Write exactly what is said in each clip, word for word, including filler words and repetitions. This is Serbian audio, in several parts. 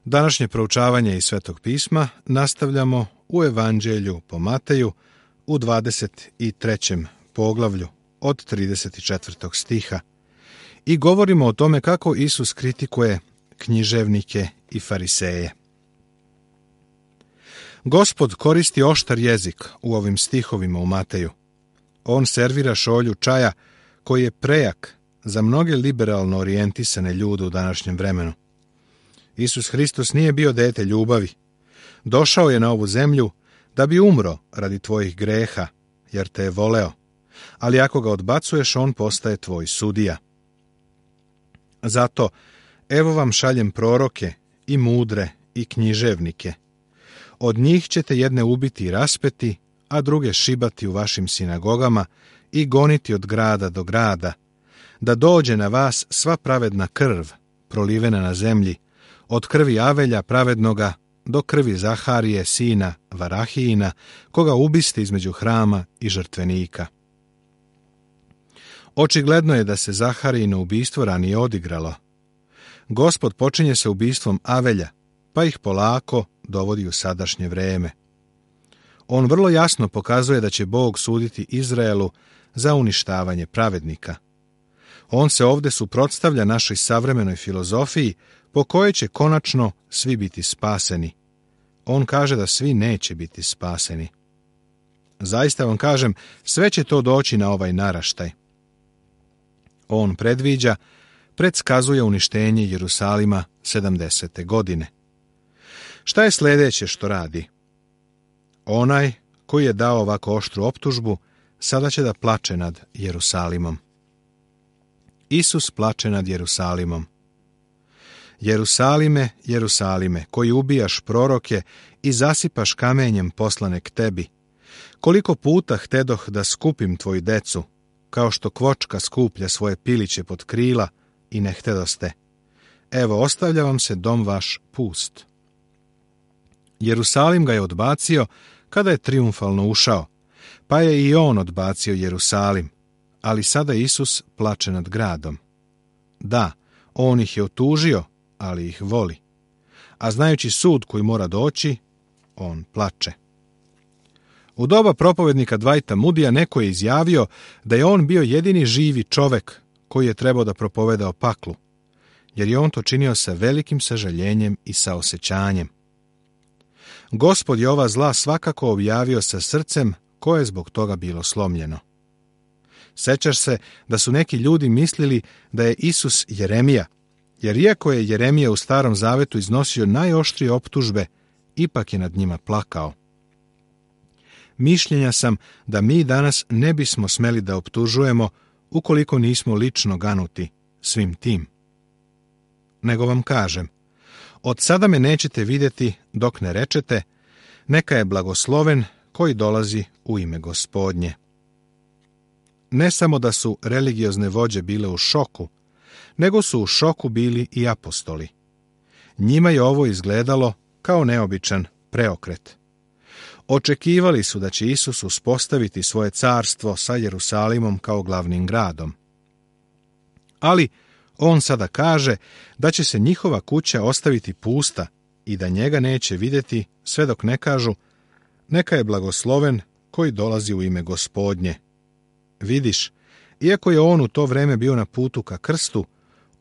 Današnje proučavanje iz Svetog pisma nastavljamo u Evanđelju po Mateju u dvadeset trećem poglavlju od trideset četvrtog stiha i govorimo o tome kako Isus kritikuje književnike i fariseje. Gospod koristi oštar jezik u ovim stihovima u Mateju. On servira šolju čaja koji je prejak za mnoge liberalno orijentisane ljude u današnjem vremenu. Isus Hristos nije bio dete ljubavi. Došao je na ovu zemlju da bi umro radi tvojih greha, jer te je voleo. Ali ako ga odbacuješ, on postaje tvoj sudija. Zato, evo vam šaljem proroke i mudre i književnike. Od njih ćete jedne ubiti i raspeti, a druge šibati u vašim sinagogama i goniti od grada do grada, da dođe na vas sva pravedna krv, prolivena na zemlji, od krvi Avelja pravednoga do krvi Zaharije, sina Varahijina, koga ubiste između hrama i žrtvenika. Očigledno je da se Zaharijino ubistvo ranije odigralo. Gospod počinje sa ubistvom Avelja, pa ih polako dovodi u sadašnje vreme. On vrlo jasno pokazuje da će Bog suditi Izraelu za uništavanje pravednika. On se ovdje suprotstavlja našoj savremenoj filozofiji po kojoj će konačno svi biti spaseni. On kaže da svi neće biti spaseni. Zaista vam kažem, sve će to doći na ovaj naraštaj. On predviđa, predskazuje uništenje Jerusalima sedamdesete godine. Šta je sljedeće što radi? Onaj koji je dao ovako oštru optužbu, sada će da plače nad Jerusalimom. Isus plače nad Jerusalimom. Jerusalime, Jerusalime, koji ubijaš proroke i zasipaš kamenjem poslane k tebi, koliko puta htedoh da skupim tvoju decu, kao što kvočka skuplja svoje piliće pod krila i ne htedoste. Evo, ostavlja vam se dom vaš pust. Jerusalim ga je odbacio kada je trijumfalno ušao, pa je i on odbacio Jerusalim, ali sada Isus plače nad gradom. Da, on ih je otužio, ali ih voli. A znajući sud koji mora doći, on plače. U doba propovednika Dwighta Moodya neko je izjavio da je on bio jedini živi čovek koji je trebao da propoveda o paklu, jer je on to činio sa velikim sažaljenjem i saosećanjem. Gospod je ova zla svakako objavio sa srcem koje je zbog toga bilo slomljeno. Sećaš se da su neki ljudi mislili da je Isus Jeremija, jer iako je Jeremija u Starom Zavetu iznosio najoštrije optužbe, ipak je nad njima plakao. Mišljenja sam da mi danas ne bismo smeli da optužujemo ukoliko nismo lično ganuti svim tim. Nego vam kažem, od sada me nećete vidjeti dok ne rečete, neka je blagosloven koji dolazi u ime Gospodnje. Ne samo da su religiozne vođe bile u šoku, nego su u šoku bili i apostoli. Njima je ovo izgledalo kao neobičan preokret. Očekivali su da će Isus uspostaviti svoje carstvo sa Jerusalimom kao glavnim gradom. Ali on sada kaže da će se njihova kuća ostaviti pusta i da njega neće vidjeti sve dok ne kažu neka je blagosloven koji dolazi u ime Gospodnje. Vidiš, iako je on u to vreme bio na putu ka krstu,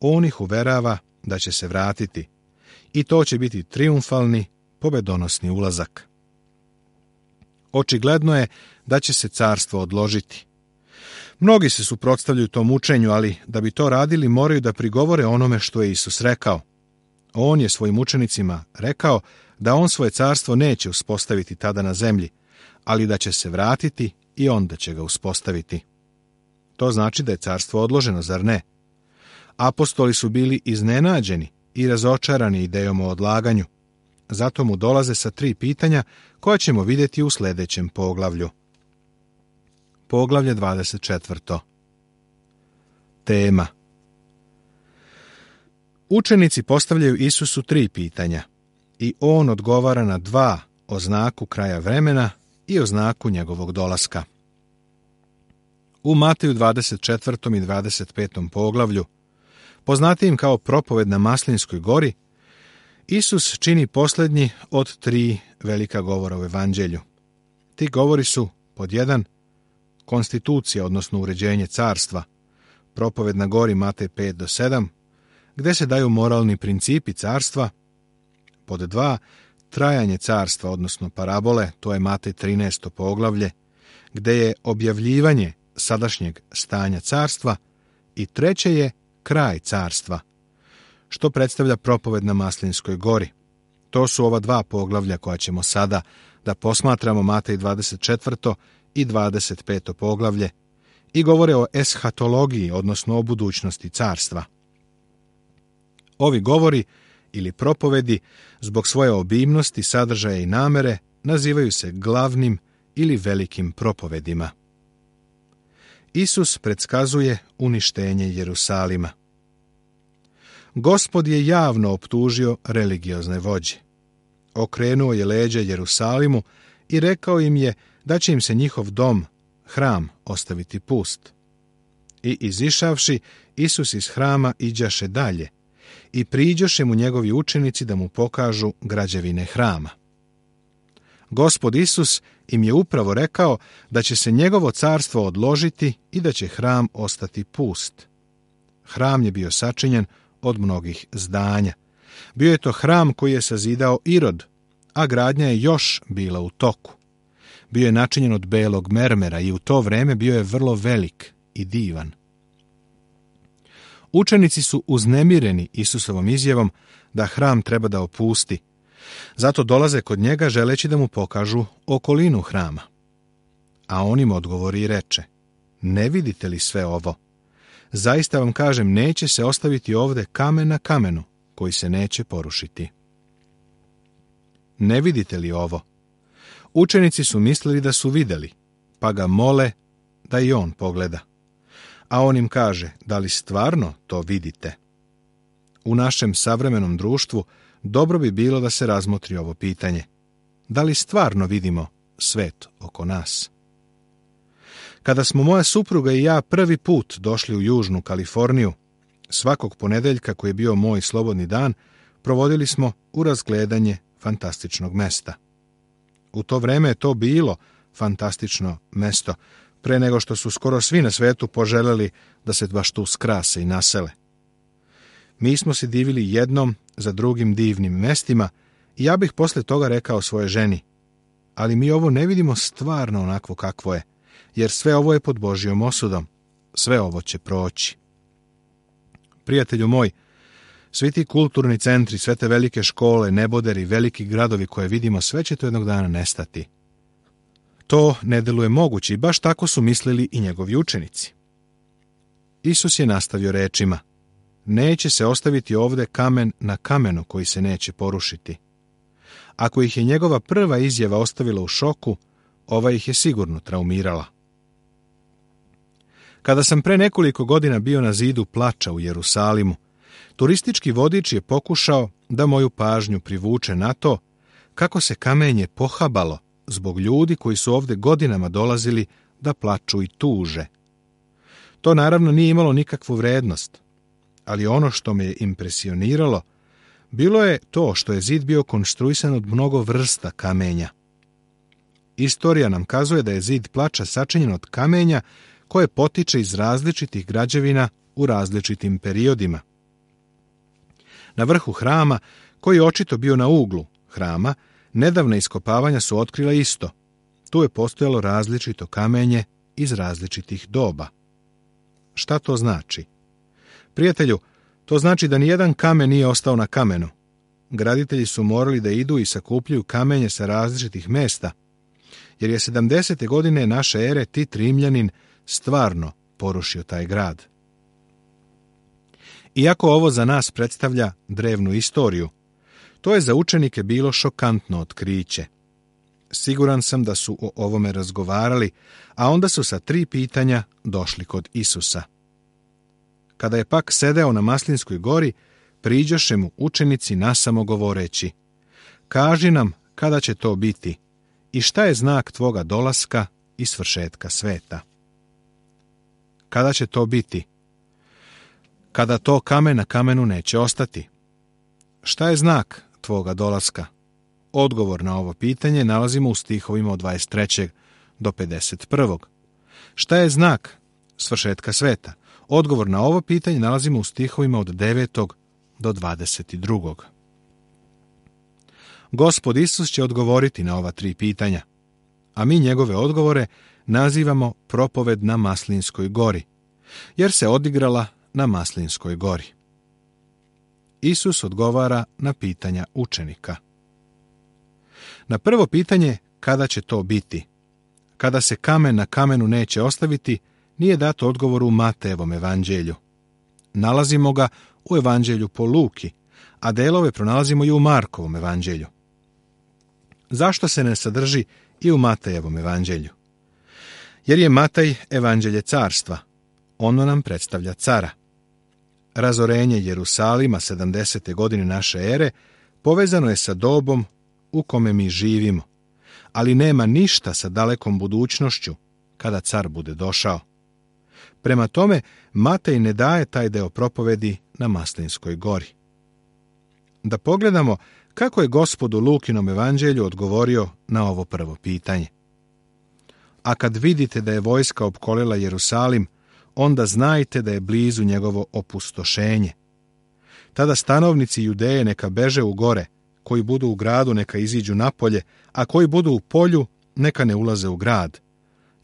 on ih uverava da će se vratiti i to će biti trijumfalni, pobedonosni ulazak. Očigledno je da će se carstvo odložiti. Mnogi se suprotstavljaju tom učenju, ali da bi to radili moraju da prigovore onome što je Isus rekao. On je svojim učenicima rekao da on svoje carstvo neće uspostaviti tada na zemlji, ali da će se vratiti i onda će ga uspostaviti. To znači da je carstvo odloženo, zar ne? Apostoli su bili iznenađeni i razočarani idejom o odlaganju. Zato mu dolaze sa tri pitanja koja ćemo vidjeti u sljedećem poglavlju. Poglavlje dvadeset četvrto. Tema. Učenici postavljaju Isusu tri pitanja i on odgovara na dva o znaku kraja vremena i o znaku njegovog dolaska. U Mateju dvadeset četvrtom i dvadeset petom poglavlju, poznatijim kao propoved na Maslinskoj gori, Isus čini posljednji od tri velika govora u evanđelju. Ti govori su, pod jedan, konstitucija, odnosno uređenje carstva, propoved na gori Matej pet do sedam, gdje se daju moralni principi carstva, pod dva, trajanje carstva, odnosno parabole, to je Matej trinaesto poglavlje, gdje je objavljivanje sadašnjeg stanja carstva, i treće je kraj carstva, što predstavlja propoved na Maslinskoj gori. To su ova dva poglavlja koja ćemo sada da posmatramo, Matej dvadeset četvrto i dvadeset peto poglavlje, i govore o eshatologiji, odnosno o budućnosti carstva. Ovi govori ili propovedi, zbog svoje obimnosti, sadržaja i namere, nazivaju se glavnim ili velikim propovedima. Isus predskazuje uništenje Jerusalima. Gospod je javno optužio religiozne vođe. Okrenuo je leđa Jerusalimu i rekao im je da će im se njihov dom, hram, ostaviti pust. I izišavši, Isus iz hrama iđaše dalje i priđoše mu njegovi učenici da mu pokažu građevine hrama. Gospod Isus im je upravo rekao da će se njegovo carstvo odložiti i da će hram ostati pust. Hram je bio sačinjen od mnogih zdanja. Bio je to hram koji je sazidao Irod, a gradnja je još bila u toku. Bio je načinjen od belog mermera i u to vreme bio je vrlo velik i divan. Učenici su uznemireni Isusovom izjavom da hram treba da opusti. Zato dolaze kod njega želeći da mu pokažu okolinu hrama. A on im odgovori i reče: ne vidite li sve ovo? Zaista vam kažem, neće se ostaviti ovde kamen na kamenu koji se neće porušiti. Ne vidite li ovo? Učenici su mislili da su vidjeli, pa ga mole da i on pogleda. A on im kaže: da li stvarno to vidite? U našem savremenom društvu dobro bi bilo da se razmotri ovo pitanje. Da li stvarno vidimo svet oko nas? Kada smo moja supruga i ja prvi put došli u Južnu Kaliforniju, svakog ponedeljka koji je bio moj slobodni dan, provodili smo u razgledanje fantastičnog mesta. U to vreme je to bilo fantastično mesto, pre nego što su skoro svi na svetu poželjeli da se baš tu skrase i nasele. Mi smo se divili jednom za drugim divnim mestima i ja bih posle toga rekao svoje ženi: ali mi ovo ne vidimo stvarno onakvo kakvo je, jer sve ovo je pod Božjom osudom. Sve ovo će proći. Prijatelju moj, svi ti kulturni centri, sve te velike škole, neboderi, veliki gradovi koje vidimo, sve će to jednog dana nestati. To ne deluje moguće i baš tako su mislili i njegovi učenici. Isus je nastavio rečima: neće se ostaviti ovde kamen na kamenu koji se neće porušiti. Ako ih je njegova prva izjava ostavila u šoku, ova ih je sigurno traumirala. Kada sam pre nekoliko godina bio na zidu plača u Jerusalimu, turistički vodič je pokušao da moju pažnju privuče na to kako se kamenje pohabalo zbog ljudi koji su ovde godinama dolazili da plaču i tuže. To naravno nije imalo nikakvu vrednost, ali ono što me je impresioniralo bilo je to što je zid bio konstruisan od mnogo vrsta kamenja. Istorija nam kazuje da je zid plača sačinjen od kamenja koje potiče iz različitih građevina u različitim periodima. Na vrhu hrama, koji je očito bio na uglu hrama, nedavna iskopavanja su otkrila isto. Tu je postojalo različito kamenje iz različitih doba. Šta to znači? Prijatelju, to znači da nijedan kamen nije ostao na kamenu. Graditelji su morali da idu i sakupljaju kamenje sa različitih mesta, jer je sedamdesete godine naše ere Tit Rimljanin stvarno porušio taj grad. Iako ovo za nas predstavlja drevnu istoriju, to je za učenike bilo šokantno otkriće. Siguran sam da su o ovome razgovarali, a onda su sa tri pitanja došli kod Isusa. Kada je pak sedeo na Maslinskoj gori, priđoše mu učenici nasamo govoreći: kaži nam kada će to biti i šta je znak tvoga dolaska i svršetka sveta. Kada će to biti? Kada to kamen na kamenu neće ostati. Šta je znak tvoga dolaska? Odgovor na ovo pitanje nalazimo u stihovima od dvadeset trećeg do pedeset prvog Šta je znak svršetka sveta? Odgovor na ovo pitanje nalazimo u stihovima od devetog do dvadeset drugog Gospod Isus će odgovoriti na ova tri pitanja, a mi njegove odgovore nazivamo propoved na Maslinskoj gori, jer se odigrala na Maslinskoj gori. Isus odgovara na pitanja učenika. Na prvo pitanje, kada će to biti? Kada se kamen na kamenu neće ostaviti, nije dato odgovor u Matejevom evanđelju. Nalazimo ga u evanđelju po Luki, a delove pronalazimo i u Markovom evanđelju. Zašto se ne sadrži i u Matejevom evanđelju? Jer je Matej evanđelje carstva. Ono nam predstavlja cara. Razorenje Jerusalima sedamdesete godine naše ere povezano je sa dobom u kome mi živimo, ali nema ništa sa dalekom budućnošću kada car bude došao. Prema tome, Matej ne daje taj deo propovedi na Maslinskoj gori. Da pogledamo kako je Gospod u Lukinom evanđelju odgovorio na ovo prvo pitanje. A kad vidite da je vojska opkolila Jerusalim, onda znajte da je blizu njegovo opustošenje. Tada stanovnici Judeje neka beže u gore, koji budu u gradu neka iziđu napolje, a koji budu u polju neka ne ulaze u grad,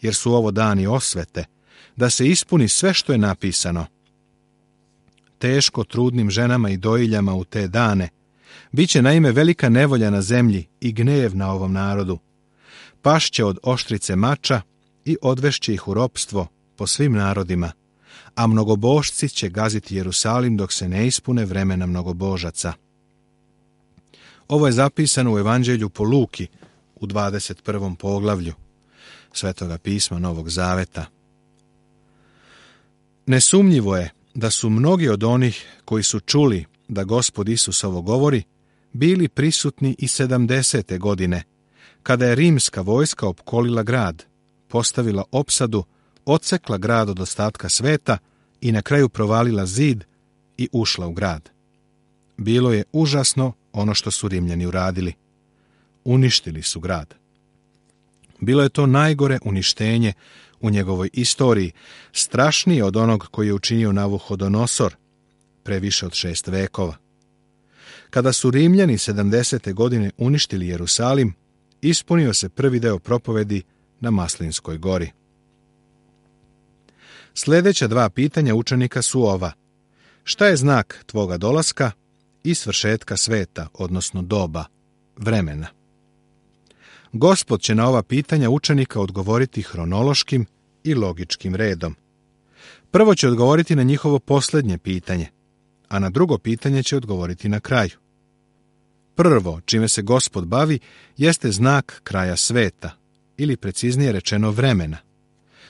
jer su ovo dani osvete, da se ispuni sve što je napisano. Teško trudnim ženama i dojiljama u te dane, biće naime velika nevolja na zemlji i gnev na ovom narodu. Pašće od oštrice mača i odvešće ih u ropstvo po svim narodima, a mnogobožci će gaziti Jerusalim dok se ne ispune vremena mnogobožaca. Ovo je zapisano u evanđelju po Luki u dvadeset prvom poglavlju Svetoga pisma Novog Zaveta. Nesumnjivo je da su mnogi od onih koji su čuli da Gospod Isus ovo govori, bili prisutni i sedamdesete godine, kada je rimska vojska opkolila grad, postavila opsadu, odsekla grad od ostatka sveta i na kraju provalila zid i ušla u grad. Bilo je užasno ono što su Rimljani uradili. Uništili su grad. Bilo je to najgore uništenje u njegovoj istoriji, strašnije od onog koji je učinio Navuhodonosor pre više od šest vekova. Kada su Rimljani sedamdesete godine uništili Jerusalim, ispunio se prvi deo propovedi na Maslinskoj gori. Sljedeća dva pitanja učenika su ova. Šta je znak tvoga dolaska i svršetka sveta, odnosno doba, vremena? Gospod će na ova pitanja učenika odgovoriti hronološkim i logičkim redom. Prvo će odgovoriti na njihovo posljednje pitanje, a na drugo pitanje će odgovoriti na kraju. Prvo, čime se Gospod bavi, jeste znak kraja sveta, ili preciznije rečeno vremena.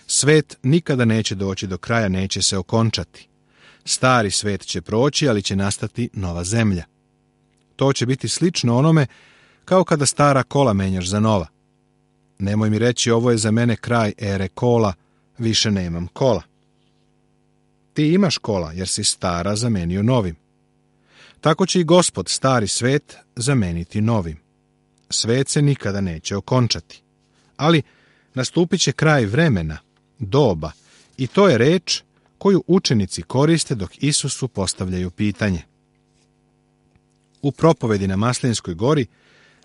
Svet nikada neće doći do kraja, neće se okončati. Stari svet će proći, ali će nastati nova zemlja. To će biti slično onome kao kada stara kola menjaš za nova. Nemoj mi reći ovo je za mene kraj ere kola, više nemam kola. Ti imaš kola jer si stara zamenio novim. Tako će i Gospod stari svet zameniti novim. Svet se nikada neće okončati. Ali nastupit će kraj vremena, doba, i to je reč koju učenici koriste dok Isusu postavljaju pitanje. U propovedi na Maslinskoj gori,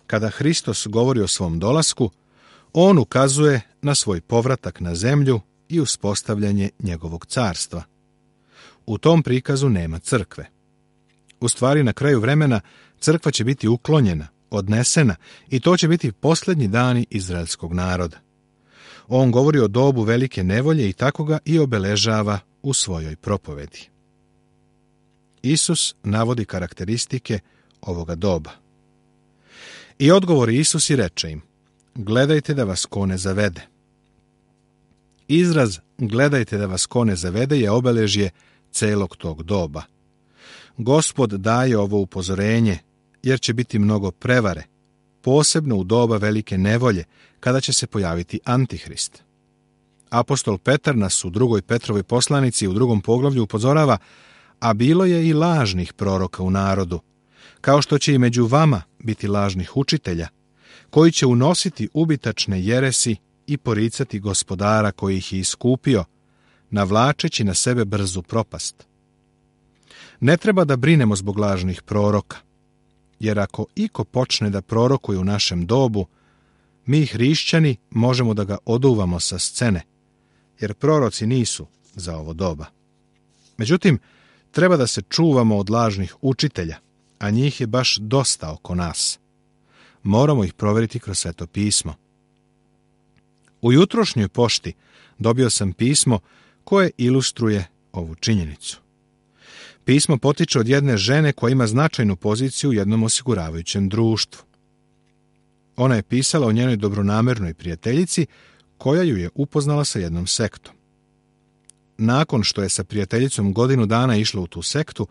kada Hristos govori o svom dolasku, on ukazuje na svoj povratak na zemlju i uspostavljanje njegovog carstva. U tom prikazu nema crkve. U stvari, na kraju vremena crkva će biti uklonjena, odnesena, i to će biti posljednji dani izraelskog naroda. On govori o dobu velike nevolje i tako ga i obeležava u svojoj propovedi. Isus navodi karakteristike ovoga doba. I odgovori Isus i reče im: gledajte da vas ko ne zavede. Izraz gledajte da vas ko ne zavede je obeležje celog tog doba. Gospod daje ovo upozorenje, jer će biti mnogo prevare, posebno u doba velike nevolje, kada će se pojaviti Antihrist. Apostol Petar nas u drugoj Petrovoj poslanici u drugom poglavlju upozorava, a bilo je i lažnih proroka u narodu, kao što će i među vama biti lažnih učitelja, koji će unositi ubitačne jeresi i poricati Gospodara koji ih je iskupio, navlačeći na sebe brzu propast. Ne treba da brinemo zbog lažnih proroka, jer ako iko počne da prorokuje u našem dobu, mi hrišćani možemo da ga oduvamo sa scene, jer proroci nisu za ovo doba. Međutim, treba da se čuvamo od lažnih učitelja, a njih je baš dosta oko nas. Moramo ih provjeriti kroz Sveto pismo. U jutrošnjoj pošti dobio sam pismo koje ilustruje ovu činjenicu. Pismo potiče od jedne žene koja ima značajnu poziciju u jednom osiguravajućem društvu. Ona je pisala o njenoj dobronamernoj prijateljici koja ju je upoznala sa jednom sektom. Nakon što je sa prijateljicom godinu dana išla u tu sektu,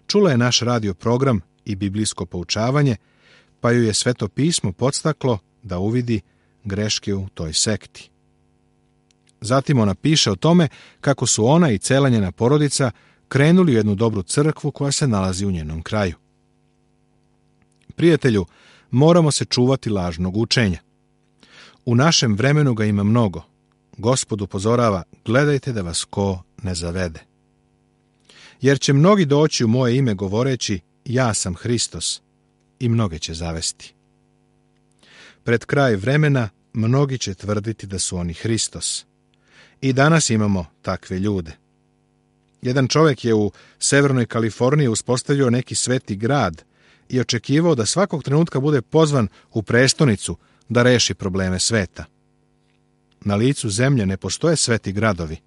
čula je naš radio program i biblijsko poučavanje, pa ju je Sveto pismo podstaklo da uvidi greške u toj sekti. Zatim ona piše o tome kako su ona i cela njena porodica krenuli u jednu dobru crkvu koja se nalazi u njenom kraju. Prijatelju, moramo se čuvati lažnog učenja. U našem vremenu ga ima mnogo. Gospod upozorava, gledajte da vas ko ne zavede. Jer će mnogi doći u moje ime govoreći, ja sam Hristos, i mnoge će zavesti. Pred kraj vremena mnogi će tvrditi da su oni Hristos. I danas imamo takve ljude. Jedan čovjek je u Severnoj Kaliforniji uspostavio neki sveti grad i očekivao da svakog trenutka bude pozvan u prestonicu da reši probleme sveta. Na licu zemlje ne postoje sveti gradovi,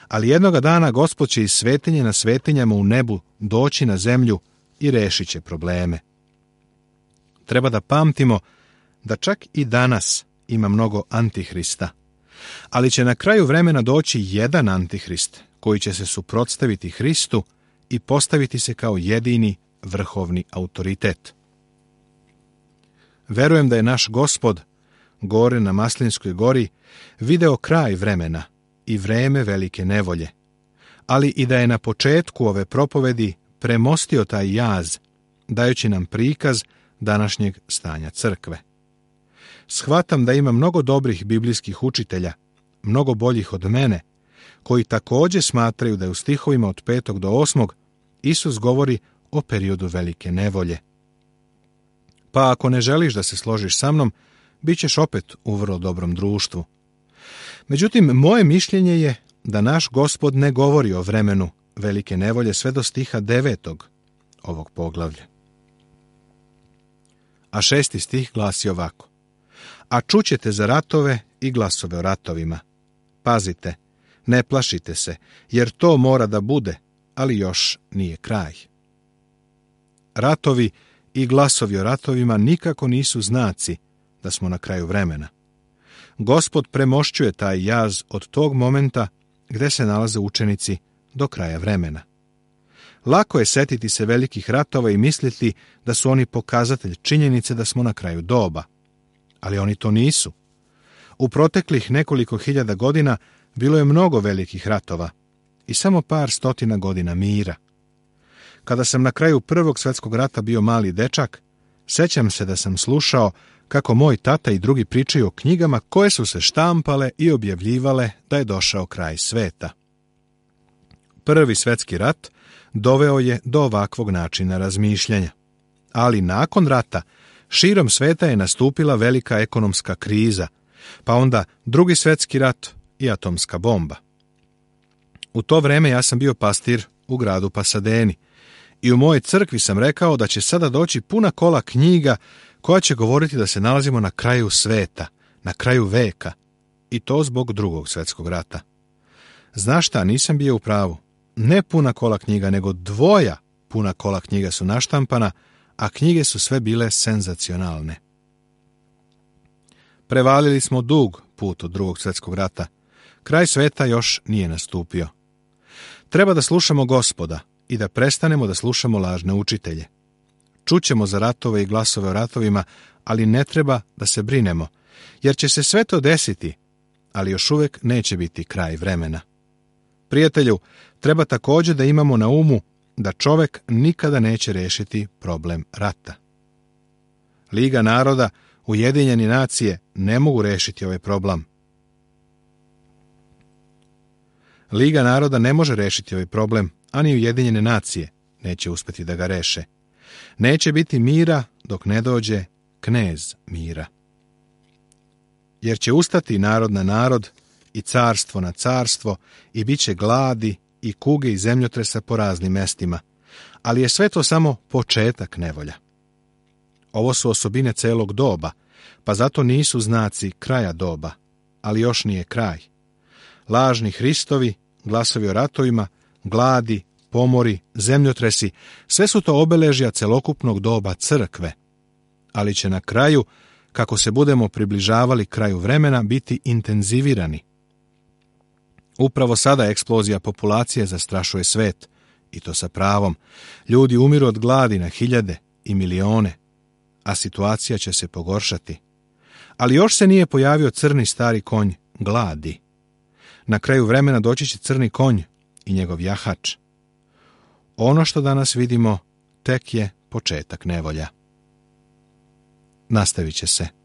ali jednoga dana Gospod će iz svetinje na svetinjama u nebu doći na zemlju i rešit će probleme. Treba da pamtimo da čak i danas ima mnogo antihrista, ali će na kraju vremena doći jedan antihrist koji će se suprotstaviti Hristu i postaviti se kao jedini vrhovni autoritet. Verujem da je naš Gospod gore na Maslinskoj gori video kraj vremena i vreme velike nevolje, ali i da je na početku ove propovedi premostio taj jaz, dajući nam prikaz današnjeg stanja crkve. Shvatam da ima mnogo dobrih biblijskih učitelja, mnogo boljih od mene, koji također smatraju da je u stihovima od petog do osmog Isus govori o periodu velike nevolje. Pa ako ne želiš da se složiš sa mnom, bit ćeš opet u vrlo dobrom društvu. Međutim, moje mišljenje je da naš Gospod ne govori o vremenu velike nevolje sve do stiha devetog ovog poglavlja. A šesti stih glasi ovako. A čućete za ratove i glasove o ratovima. Pazite, ne plašite se, jer to mora da bude, ali još nije kraj. Ratovi i glasovi o ratovima nikako nisu znaci da smo na kraju vremena. Gospod premošćuje taj jaz od tog momenta gde se nalaze učenici do kraja vremena. Lako je setiti se velikih ratova i misliti da su oni pokazatelj činjenice da smo na kraju doba. Ali oni to nisu. U proteklih nekoliko hiljada godina bilo je mnogo velikih ratova i samo par stotina godina mira. Kada sam na kraju Prvog svjetskog rata bio mali dečak, sećam se da sam slušao kako moj tata i drugi pričaju o knjigama koje su se štampale i objavljivale da je došao kraj sveta. Prvi svjetski rat doveo je do ovakvog načina razmišljanja. Ali nakon rata širom sveta je nastupila velika ekonomska kriza, pa onda drugi svjetski rat i atomska bomba. U to vreme ja sam bio pastir u gradu Pasadeni i u mojoj crkvi sam rekao da će sada doći puna kola knjiga koja će govoriti da se nalazimo na kraju sveta, na kraju veka, i to zbog drugog svjetskog rata. Znaš šta, nisam bio u pravu. Ne puna kola knjiga, nego dvoja puna kola knjiga su naštampana, a knjige su sve bile senzacionalne. Prevalili smo dug put od drugog svjetskog rata. Kraj sveta još nije nastupio. Treba da slušamo Gospoda i da prestanemo da slušamo lažne učitelje. Čućemo za ratove i glasove o ratovima, ali ne treba da se brinemo, jer će se sve to desiti, ali još uvijek neće biti kraj vremena. Prijatelju, treba također da imamo na umu da čovek nikada neće rešiti problem rata. Liga naroda, Ujedinjeni nacije ne mogu rešiti ovaj problem. Liga naroda ne može rešiti ovaj problem, a ni Ujedinjene nacije neće uspeti da ga reše. Neće biti mira dok ne dođe knez mira. Jer će ustati narod na narod i carstvo na carstvo i bit će gladi i kuge i zemljotresa po raznim mestima, ali je sve to samo početak nevolja. Ovo su osobine celog doba, pa zato nisu znaci kraja doba, ali još nije kraj. Lažni Hristovi, glasovi o ratovima, gladi, pomori, zemljotresi, sve su to obeležja celokupnog doba crkve, ali će na kraju, kako se budemo približavali kraju vremena, biti intenzivirani. Upravo sada eksplozija populacije zastrašuje svet, i to sa pravom. Ljudi umiru od gladi na hiljade i milione, a situacija će se pogoršati. Ali još se nije pojavio crni stari konj gladi. Na kraju vremena doći će crni konj i njegov jahač. Ono što danas vidimo tek je početak nevolja. Nastavit će se.